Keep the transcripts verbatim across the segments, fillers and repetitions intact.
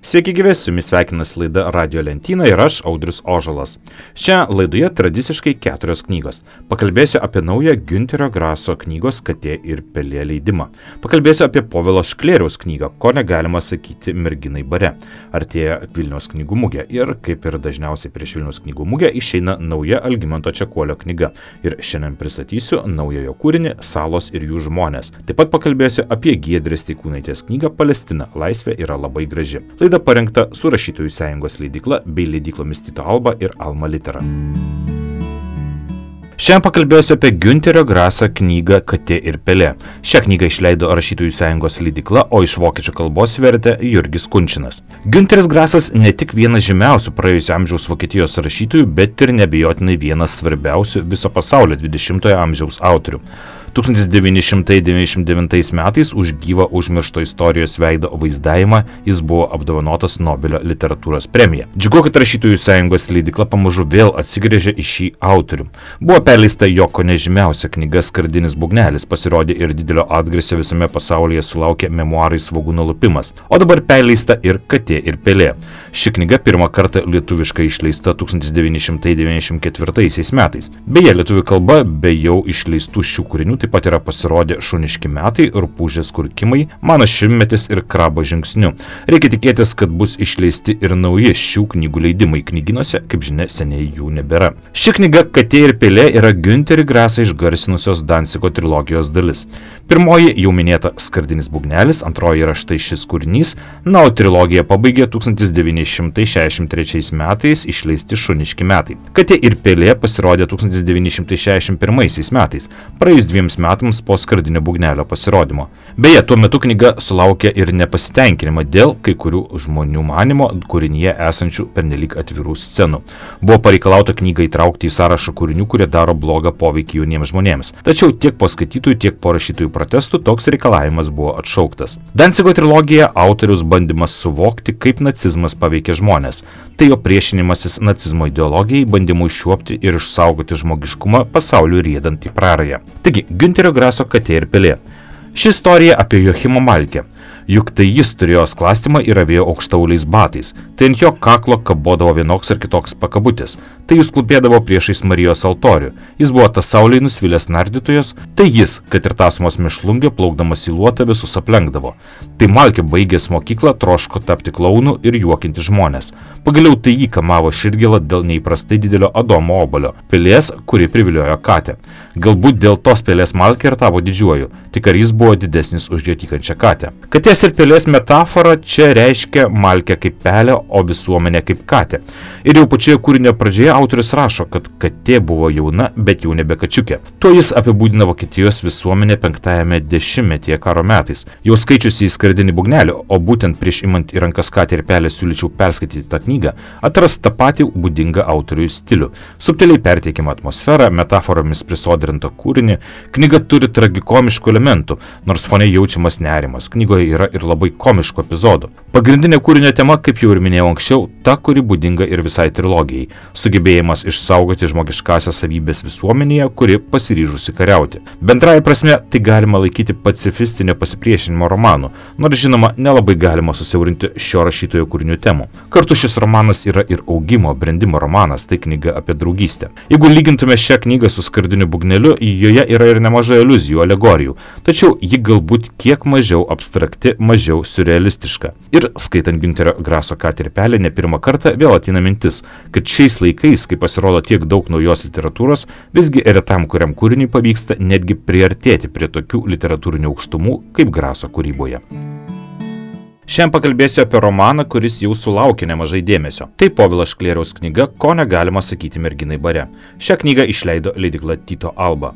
Sveiki gyvi, su jumis sveikinas laida Radio Lentyna ir aš, Audrius Ožalas. Šią laidoje tradiciškai keturios knygos. Pakalbėsiu apie naują Günterio Graso knygos Katė ir pelė leidimą. Pakalbėsiu apie Povilo Šklėriaus knygą Ko negalima sakyti merginai bare. Artėja Vilniaus knygų mugė ir, kaip ir dažniausiai prieš Vilniaus knygų mugę, išeina nauja Algimanto Čekuolio knyga. Ir šiandien pristatysiu naujojo kūrinį Salos ir jų žmonės. Taip pat pakalbėsiu apie Giedrės Steikūnaitės knygą Palestina. Laisvė yra labai graži. Laida parengta su Rašytojų sąjungos leidykla bei leidyklomis Tyto Alba ir Alma Litera. Šiandien pakalbėsiu apie Günterio Grasą knygą Katė ir pelė. Šią knygą išleido Rašytojų sąjungos leidykla, o iš vokiečių kalbos vertė Jurgis Kunčinas. Günteris Grasas ne tik vienas žymiausių praėjusio amžiaus Vokietijos rašytojų, bet ir neabejotinai vienas svarbiausių viso pasaulio dvidešimtojo amžiaus autorių. tūkstantis devyni šimtai devyniasdešimt devintais metais už gyvą užmiršto istorijos veido vaizdavimą jis buvo apdovanotas Nobelio literatūros premija. Džiugu, kad Rašytojų sąjungos leidykla pamažu vėl atsigręžė į šį autorių. Buvo perleista jo kone žymiausia knyga Skardinis būgnelis, pasirodė ir didelio atgarsio visame pasaulyje sulaukė memuarai Svogūno lupimas, o dabar perleista ir Katė ir pelė. Ši knyga pirmą kartą lietuviškai išleista tūkstantis devyni šimtai devyniasdešimt ketvirtaisiais metais. Beje, lietuvių kalba be jau išleistų šių kūrinių taip pat yra pasirodę Šuniški metai, Rupūžės kurkimai, Mano šimtmetis ir Krabo žingsniu. Reikia tikėtis, kad bus išleisti ir nauji šių knygų leidimai knygynuose, kaip žinia, seniai jų nebėra. Ši knyga Katė ir pelė yra Günterį Grasą išgarsinusios Dancigo trilogijos dalis. Pirmoji jau minėta Skardinis būgnelis, antroji yra štai šis kūrinys, na, o trilogiją pabaigė tūkstantis devyni šimtai šešiasdešimt trečiais metais išleisti Šuniški metai. Katė ir pelė pasirodė tūkstantis devyni šimtai šešiasdešimt pirmaisiais metais, praėjus dviems metams po Skardinio būgnelio pasirodymo. Beje, tuo metu knyga sulaukė ir nepasitenkinimą dėl kai kurių žmonių manimo kūrinyje esančių pernelyg atvirų scenų. Buvo pareikalauta knygą įtraukti į sąrašą kūrinių, kurie daro blogą poveikį jauniems žmonėms. Tačiau tiek po skaitytojų, tiek po rašytojų protestų toks reikalavimas buvo atšauktas. Dancigo trilogija autorius bandymas suvokti, kaip nacizmas paveikia žmonės. Tai jo priešinimasis nacizmo ideologijai, bandymu iššiuopti ir išsaugoti žmogiškumą pasauliu riedant į prarają. Taigi, Günterio Graso Katė ir pelė. Ši istorija apie Joachimą Malkę. Juk tai jis turėjo sklastymą ir avėjo aukštauliais batais. Tai ant jo kaklo kabodavo vienoks ar kitoks pakabutis. Tai jis klūpėdavo priešais Marijos altorių. Jis buvo tas sauliai nusvilęs nardytojas. Tai jis, kad ir tasmos mišlungė, plaukdamas į luotą visus aplenkdavo. Tai Malkė baigęs mokyklą troško tapti klaunu ir juokinti žmonės. Pagaliau tai jį kamavo širdgėlą dėl neįprastai didelio Adomo obuolio, pelės, kuri priviliojo katę. Galbūt dėl tos pelės Malkė ir tapo didžiuoju, tik ar jis buvo didesnis už jo tykančią katę. Katės ir pelės metafora čia reiškia Malkę kaip pelę, o visuomenę kaip katę. Ir jau pačioje kūrinio pradžioje autorius rašo, kad katė buvo jauna, bet jau nebe kačiukė. Tuo jis apibūdina Vokietijos visuomenę penktajame dešimtmetyje karo metais. Jau skaičiusi į Skardinį būgnelį, o būtent prieš imant į rankas Katę ir pelę siūlyčiau perskaityti tą knygą, atras tą patį būdingą autoriui stilių. Subtiliai perteikiama atmosfera, metaforomis prisodrinta kūrinį, knyga turi tragikomiškų elementų, nors fone jaučiamas nerimas. Knygoje yra ir labai komiškų epizodų. Pagrindinė kūrinio tema, kaip jau ir minėjau anksčiau, ta, kuri būdinga ir visai trilogijai – sugebėjimas išsaugoti žmogiškąsias savybės visuomenėje, kuri pasiryžusi kariauti. Bendraja prasme, tai galima laikyti pacifistinio pasipriešinimo romanu, nors žinoma, nelabai galima susiaurinti šio rašytojo kūrinių temų. Kartu šis romanas yra ir augimo, brendimo romanas, tai knyga apie draugystę. Jeigu lygintume šią knygą su Skardiniu būgneliu, joje yra ir nemažai aliuzijų, alegorijų, tačiau ji galbūt kiek mažiau abstrakti, mažiau surrealistiška. Ir skaitant Günterio Graso Katę ir pelę ne pirmą kartą vėl ateina mintis, kad šiais laikais, kai pasirodo tiek daug naujos literatūros, visgi retam kuriam kūriniui pavyksta netgi priartėti prie tokių literatūrinių aukštumų kaip Graso kūryboje. Šiandien pakalbėsiu apie romaną, kuris jau sulaukė nemažai dėmesio. Tai Povilo Šklėriaus knyga Ko negalima sakyti merginai bare. Šią knygą išleido leidykla Tyto Alba.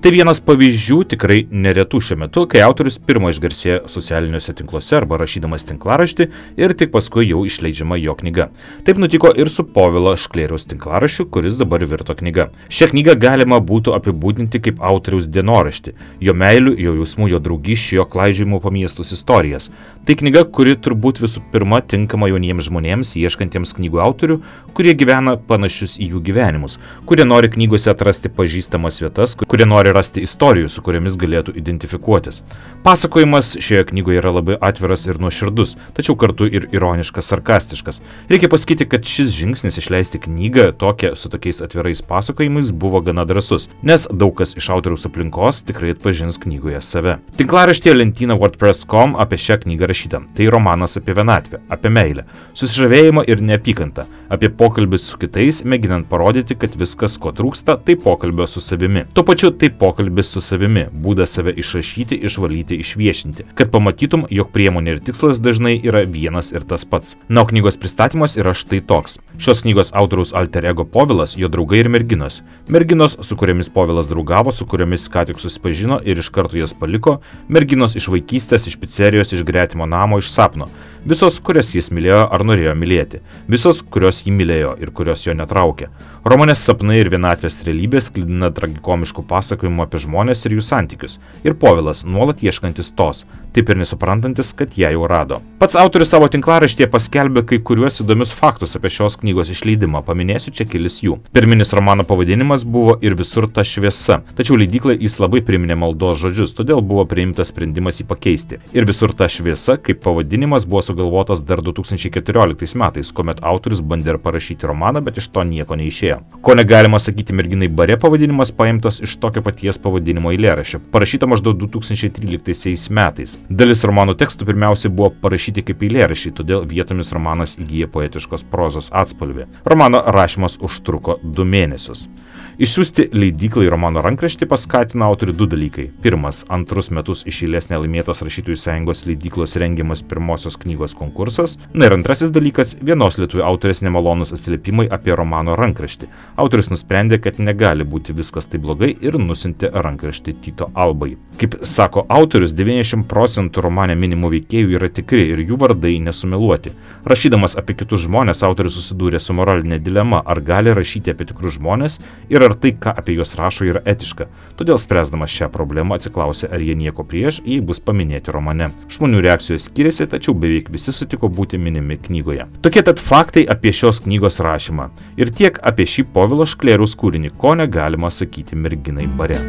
Tai vienas pavyzdžių tikrai neretų šiuo metu, kai autorius pirmo išgarsėjo socialiniuose tinkluose arba rašydamas tinklaraštį ir tik paskui jau išleidžiama jo knyga. Taip nutiko ir su Povilo Šklėriaus tinklaraščiu, kuris dabar virto knyga. Šią knygą galima būtų apibūdinti kaip autoriaus dienoraštį, jo meilių, jo jausmų, jo draugysčių, jo klaidžiojimų po miestus istorijas. Tai knyga, kuri turbūt visų pirma tinkama jauniems žmonėms, ieškantiems knygų autorių, kurie gyvena panašius į jų gyvenimus, kurie nori knygose atrasti pažįstamas vietas, kurie nori rasti istorijų, su kuriamis galėtų identifikuotis. Pasakojimas šioje knygoje yra labai atviras ir nuoširdus, tačiau kartu ir ironiškas, sarkastiškas. Reikia pasakyti, kad šis žingsnis išleisti knygą tokią su tokiais atvirais pasakojimais buvo gana drąsus, nes daug kas iš autoriaus aplinkos tikrai atpažins knygoje save. Tinklaraštyje lentyna WordPress taškas com apie šią knygą rašyta. Tai romanas apie vienatvę, apie meilę, susižavėjimą ir neapykantą, apie pokalbį su kitais, mėginant parodyti, kad viskas, ko trūksta, tai pokalbio su savimi. Tuo pačiu tai pokalbis su savimi, būdas save išrašyti, išvalyti, išviešinti, kad pamatytum, jog priemonė ir tikslas dažnai yra vienas ir tas pats. Na, o knygos pristatymas yra štai toks. Šios knygos autoriaus alter ego Povilas, jo draugai ir merginos. Merginos, su kuriamis Povilas draugavo, su kuriamis ką tik susipažino ir iš karto jas paliko, merginos iš vaikystės, iš picerijos, iš gretimo namo, iš sapno. Visos, kurias jis mylėjo ar norėjo mylėti. Visos, kurios jį mylėjo ir kurios jo netraukė. Romanės sapnai ir vienatvės realybės sklidina tragikomiškų pasakojimų apie žmonės ir jų santykius. Ir Povilas nuolat ieškantis tos, taip ir nesuprantantis, kad ją jau rado. Pats autorius savo tinklaraštyje paskelbė kai kuriuos įdomius faktus apie šios knygos išleidimą, paminėsiu čia kelis jų. Pirminis romano pavadinimas buvo Ir visur ta šviesa, tačiau leidyklai jis labai priminė maldos žodžius, todėl buvo priimtas sprendimas jį pakeisti. Ir visur ta šviesa kaip pavadinimas buvo sugalvotas dar du tūkstančiai keturioliktais metais, kuomet autorius bandė parašyti romaną, bet iš to nieko neišėjo. Ko negalima sakyti Merginai bare pavadinimas paimtas iš tokio paties pavadinimo eilėraščio, parašyta maždaug du tūkstančiai tryliktaisiais metais. Dalis romano tekstų pirmiausiai buvo parašyti kaip eilėraščiai, todėl vietomis romanas įgyja poetiškos prozos atspalvį. Romano rašymas užtruko du mėnesius. Išsiųsti leidyklai romano rankraštį paskatino autorių du dalykai. Pirmas, antrus metus iš eilės nelaimėtas Rašytojų sąjungos leidyklos rengiamas pirmosios knygos konkursas. Na ir antrasis dalykas, vienos lietuvių autorės nemalonus atsiliepimai apie romano rankraštį. Autorius nusprendė, kad negali būti viskas taip blogai ir nusintė rankraštį Tyto Albai. Kaip sako autorius, devyniasdešimt procentų romane minimų veikėjų yra tikri ir jų vardai nesumeluoti. Rašydamas apie kitus žmonės, autorius susidūrė su moralinė dilema, ar gali rašyti apie tikrus žmonės ir ar tai, ką apie juos rašo, yra etiška. Todėl spręsdamas šią problemą atsiklausė, ar jie nieko prieš, jei bus paminėti romane. Žmonių reakcijos skiriasi, tačiau beveik visi sutiko būti minimi knygoje. Tokie tad faktai apie šios knygos rašymą. Ir tiek apie šį Povilo Šklėriaus kūrinį, ko negalima sakyti Merginai bare.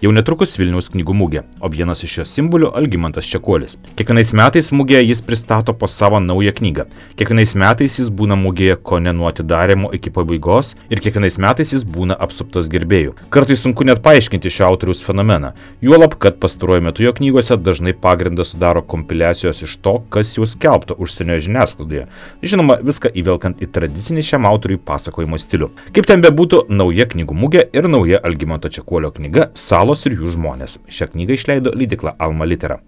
Jau netrukus Vilniaus knygų mugė, o vienas iš jos simbolių Algimantas Čekuolis. Kiekvienais metais mugėje jis pristato po savo naują knygą. Kiekvienais metais jis būna mugėje kone nuo atidarymo iki pabaigos ir kiekvienais metais jis būna apsuptas gerbėjų. Kartais sunku net paaiškinti šio autoriaus fenomeną. Juolab, kad pastaruoju metu jo knygose dažnai pagrindą sudaro kompiliacijos iš to, kas jau skelbta užsienio žiniasklaidoje. Žinoma, viską įvelkant į tradicinį šiam autoriui pasakojimo stilių. Kaip ten bebūtų, nauja knygų mugė ir nauja Algimanto Čekuolio knyga Salos ir jų žmonės. Šią knygą išleido leidykla Alma Litera.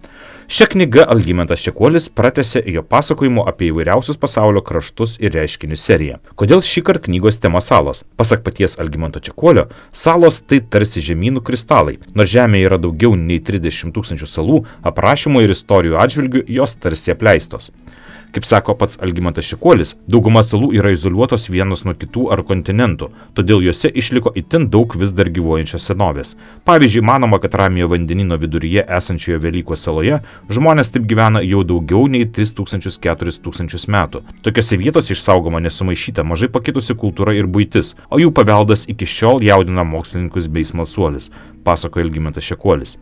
Šią knygą Algimantas Čekuolis pratęsė jo pasakojimo apie įvairiausius pasaulio kraštus ir reiškinius seriją. Kodėl šįkart knygos tema salos? Pasak paties Algimanto Čekuolio, salos tai tarsi žemynų kristalai. Nors Žemėje yra daugiau nei trisdešimt tūkstančių salų, aprašymų ir istorijų atžvilgių jos tarsi apleistos. Kaip sako pats Algimantas Čekuolis, dauguma salų yra izoliuotos vienos nuo kitų ar kontinentų, todėl juose išliko itin daug vis dar gyvuojančios senovės. Pavyzdžiui, manoma, kad Ramiojo vandenyno viduryje esančioje Velykos saloje žmonės taip gyvena jau daugiau nei tris tūkstančius keturis tūkstančius metų. Tokiose vietose išsaugoma nesumaišyta mažai pakitusi kultūra ir buitis, o jų paveldas iki šiol jaudina mokslininkus bei smalsuolius, pasakoja Algimantas Čekuolis.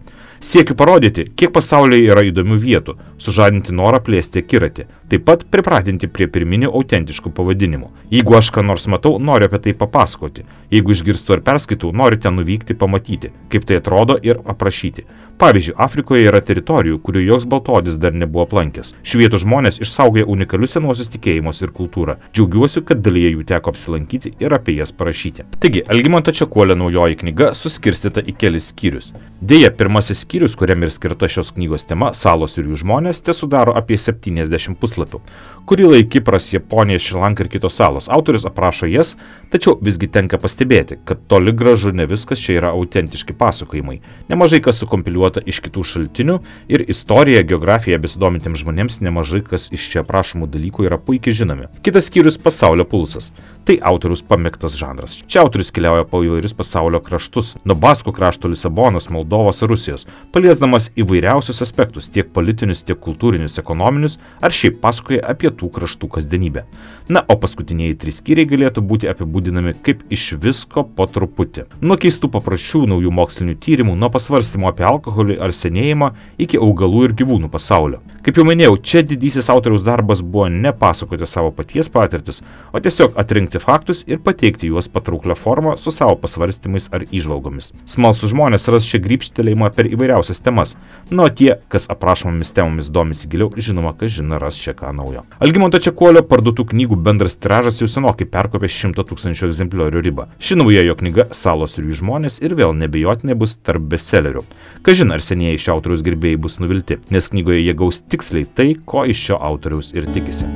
Siekiu parodyti, kiek pasaulyje yra įdomių vietų, sužadinti norą plėsti akiratį, taip pat pripratinti prie pirminių autentiškų pavadinimų. Jeigu aš ką nors matau, noriu apie tai papasakoti. Jeigu išgirstu ar perskaitau, noriu ten nuvykti, pamatyti, kaip tai atrodo ir aprašyti. Pavyzdžiui, Afrikoje yra teritorijų, kurių joks baltodis dar nebuvo aplankęs. Šių vietų žmonės išsaugoja unikalius senuosius tikėjimus ir kultūrą. Džiaugiuosi, kad dalyje jų teko apsilankyti ir apie jas parašyti. Taigi, Algimanto Čekuolio naujoji knyga suskirstyta į kelis skyrius. Deja, pirmasis skyrius, kuriam ir skirta šios knygos tema Salos ir jų žmonės, te sudaro apie septyniasdešimt puslapių. Kurį laiką Kipras, Japonija, Šri Lanka ir kitos salos. Autorius aprašo jas, tačiau visgi tenka pastebėti, kad toli gražu ne viskas čia yra autentiški pasakojimai. Nemažai kas sukompiliuota iš kitų šaltinių ir istorija, geografija besidomintiems žmonėms nemažai kas iš čia aprašomų dalykų yra puikiai žinomi. Kitas skyrius – Pasaulio pulsas. Tai autorius pamėgtas žanras. Čia autorius keliauja po įvairius pasaulio kraštus, nuo Baskų krašto Lisabonos, Moldovos ir Rusijos, paliesdamas įvairiausius aspektus, tiek politinius, tiek kultūrinius, ekonominius, ar šiaip pasakoja apie tų kraštų kasdienybę. Na, o paskutiniai trys skyriai galėtų būti apibūdinami kaip iš visko po truputį. Nuo keistų papročių, naujų mokslinių tyrimų, nuo pasvarstymų apie alkoholį ar senėjimą iki augalų ir gyvūnų pasaulio. Kaip jau minėjau, čia didysis autoriaus darbas buvo ne pasakoti savo paties patirtis, o tiesiog atrinkti faktus ir pateikti juos patrauklią formą su savo pasvarstymais ar įžvalgomis. Smalsūs žmonės ras čia grybštelėjimą per įvairiausias temas, nuo tie, kas aprašomomis temomis domisi giliau, žinoma, kas žino ras čia ką naujo. Algimanto Čekuolio parduotų knygų bendras tiražas jau senokai perkopė šimto tūkstančių egzempliorių ribą. Ši nauja jo knyga Salos ir jų žmonės ir vėl nebejotinai bus tarp bestsellerių. Kažin ar senieji šio autoriaus gerbėjai bus nuvilti, nes knygoje jie gaus tiksliai tai, ko iš šio autoriaus ir tikisi.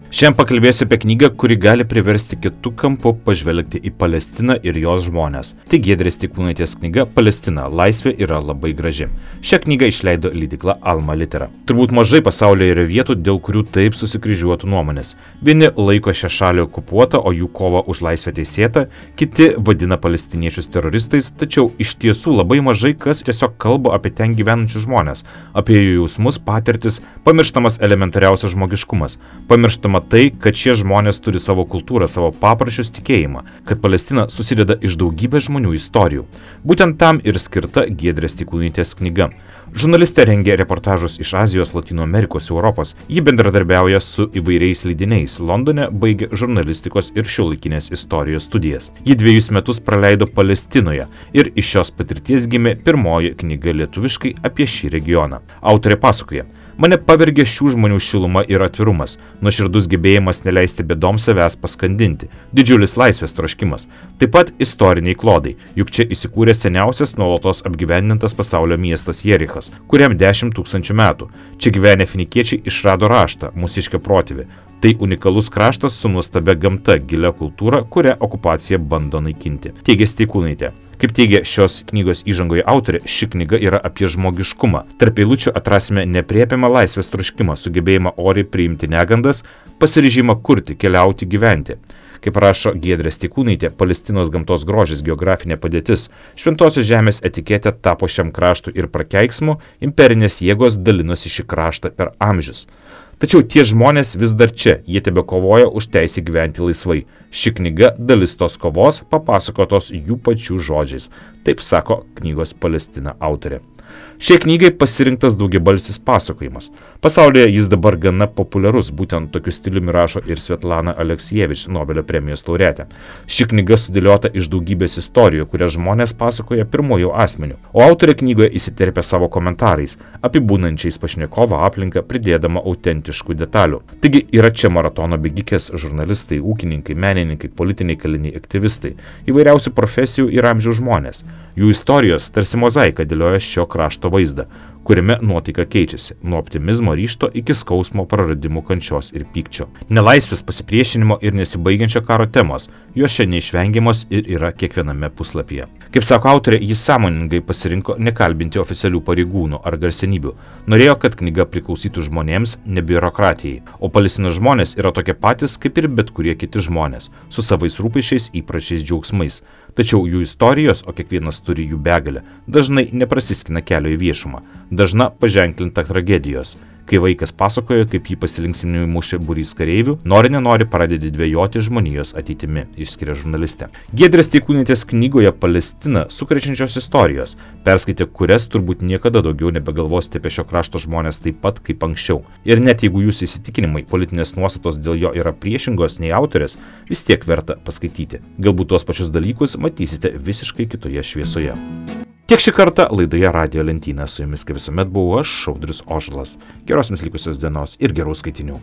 Šiandien pakalbėsiu apie knygą, kuri gali priversti kitų kampų pažvelgti į Palestiną ir jos žmonės. Tai Giedrės Steikūnaitės knyga Palestina. Laisvė yra labai graži. Šią knygą išleido leidykla Alma Litera. Turbūt mažai pasaulyje yra vietų, dėl kurių taip susikryžiuotų nuomonės. Vieni laiko šią šalį okupuotą, o jų kovą už laisvę teisėtą, kiti vadina palestiniečius teroristais, tačiau iš tiesų labai mažai kas tiesiog kalba apie ten gyvenančius žmonės, apie jų jausmus, patirtis, pamirštamas elementariausias žmogiškumas, pamirštama tai, kad šie žmonės turi savo kultūrą, savo papročius, tikėjimą, kad Palestina susideda iš daugybės žmonių istorijų. Būtent tam ir skirta Giedrės Steikūnaitės knyga. Žurnalistė rengia reportažus iš Azijos, Latino Amerikos, Europos. Ji bendradarbiauja su įvairiais leidiniais. Londone baigė žurnalistikos ir šiuolaikinės istorijos studijas. Ji dviejus metus praleido Palestinoje ir iš šios patirties gimė pirmoji knyga lietuviškai apie šį regioną. Autorė pasakoja: mane pavergė šių žmonių šiluma ir atvirumas, nuoširdus gebėjimas neleisti bėdoms savęs paskandinti, didžiulis laisvės troškimas, taip pat istoriniai klodai, juk čia įsikūrė seniausias nuolatos apgyvendintas pasaulio miestas Jerichas, kuriam dešimt tūkstančių metų. Čia gyvenę finikiečiai išrado raštą, mūsiškio protėvį. Tai unikalus kraštas su nuostabia gamta, gilia kultūra, kurią okupacija bando naikinti, teigia Steikūnaitė. Kaip teigia šios knygos įžangoje autorė, ši knyga yra apie žmogiškumą. Tarp eilučių atrasime nepriepiamą laisvės troškimą, sugebėjimą oriai priimti negandas, pasiryžimą kurti, keliauti, gyventi. Kaip rašo Giedrė Steikūnaitė, Palestinos gamtos grožis, geografinė padėtis, šventosios žemės etiketė tapo šiam kraštui ir prakeiksmu, imperinės jėgos dalinosi šį kraštą per amžius. Tačiau tie žmonės vis dar čia, jie tebe kovoja už teisę gyventi laisvai. Ši knyga dalis tos kovos papasakotos jų pačių žodžiais. Taip sako knygos Palestina autorė. Šiai knygai pasirinktas daugiabalsis pasakojimas. Pasaulyje jis dabar gana populiarus, būtent tokiu stiliumi rašo ir Svetlana Aleksijevič, Nobelio premijos laureatė. Ši knyga sudėliota iš daugybės istorijų, kurias žmonės pasakoja pirmojų asmenių, o autorė knygoje įsiterpia savo komentarais, apibūnančiais pašnekovo aplinką, pridėdama autentiškų detalių. Taigi yra čia maratono bėgikės, žurnalistai, ūkininkai, menininkai, politiniai kaliniai, aktyvistai, įvairiausių profesijų ir amžiaus žmonės. Jų istorijos tarsi mozaika dėlioja šio krašto vaizdą, kuriame nuotaika keičiasi nuo optimizmo ryžto iki skausmo, praradimų, kančios ir pykčio. Nelaisvės, pasipriešinimo ir nesibaigiančio karo temos, jos čia neišvengiamos ir yra kiekviename puslapyje. Kaip sako autorė, jis sąmoningai pasirinko nekalbinti oficialių pareigūnų ar garsenybių. Norėjo, kad knyga priklausytų žmonėms, ne biurokratijai, o Palestinos žmonės yra tokie patys kaip ir bet kurie kiti žmonės, su savais rūpesčiais, įpročiais, džiaugsmais. Tačiau jų istorijos, o kiekvienas turi jų begalę, dažnai neprasiskina kelio į viešumą, dažna paženklinta tragedijos. Kai vaikas pasakojo, kaip jį pasilinksminimui mušė būrys kareivių, nori nenori pradedi dvejoti žmonijos ateitimi, išskiria žurnalistė. Giedrės Steikūnaitės knygoje Palestina sukrečiančios istorijos, perskaitė kurias turbūt niekada daugiau nebegalvosite apie šio krašto žmonės taip pat kaip anksčiau. Ir net jeigu jūsų įsitikinimai, politinės nuostatos dėl jo yra priešingos nei autorės, vis tiek verta paskaityti. Galbūt tuos pačius dalykus matysite visiškai kitoje šviesoje. Tiek šį kartą laidoje Radijo lentyna, su jumis kaip visuomet buvau aš, Audrius Ožalas. Geros jums likusios dienos ir gerų skaitinių.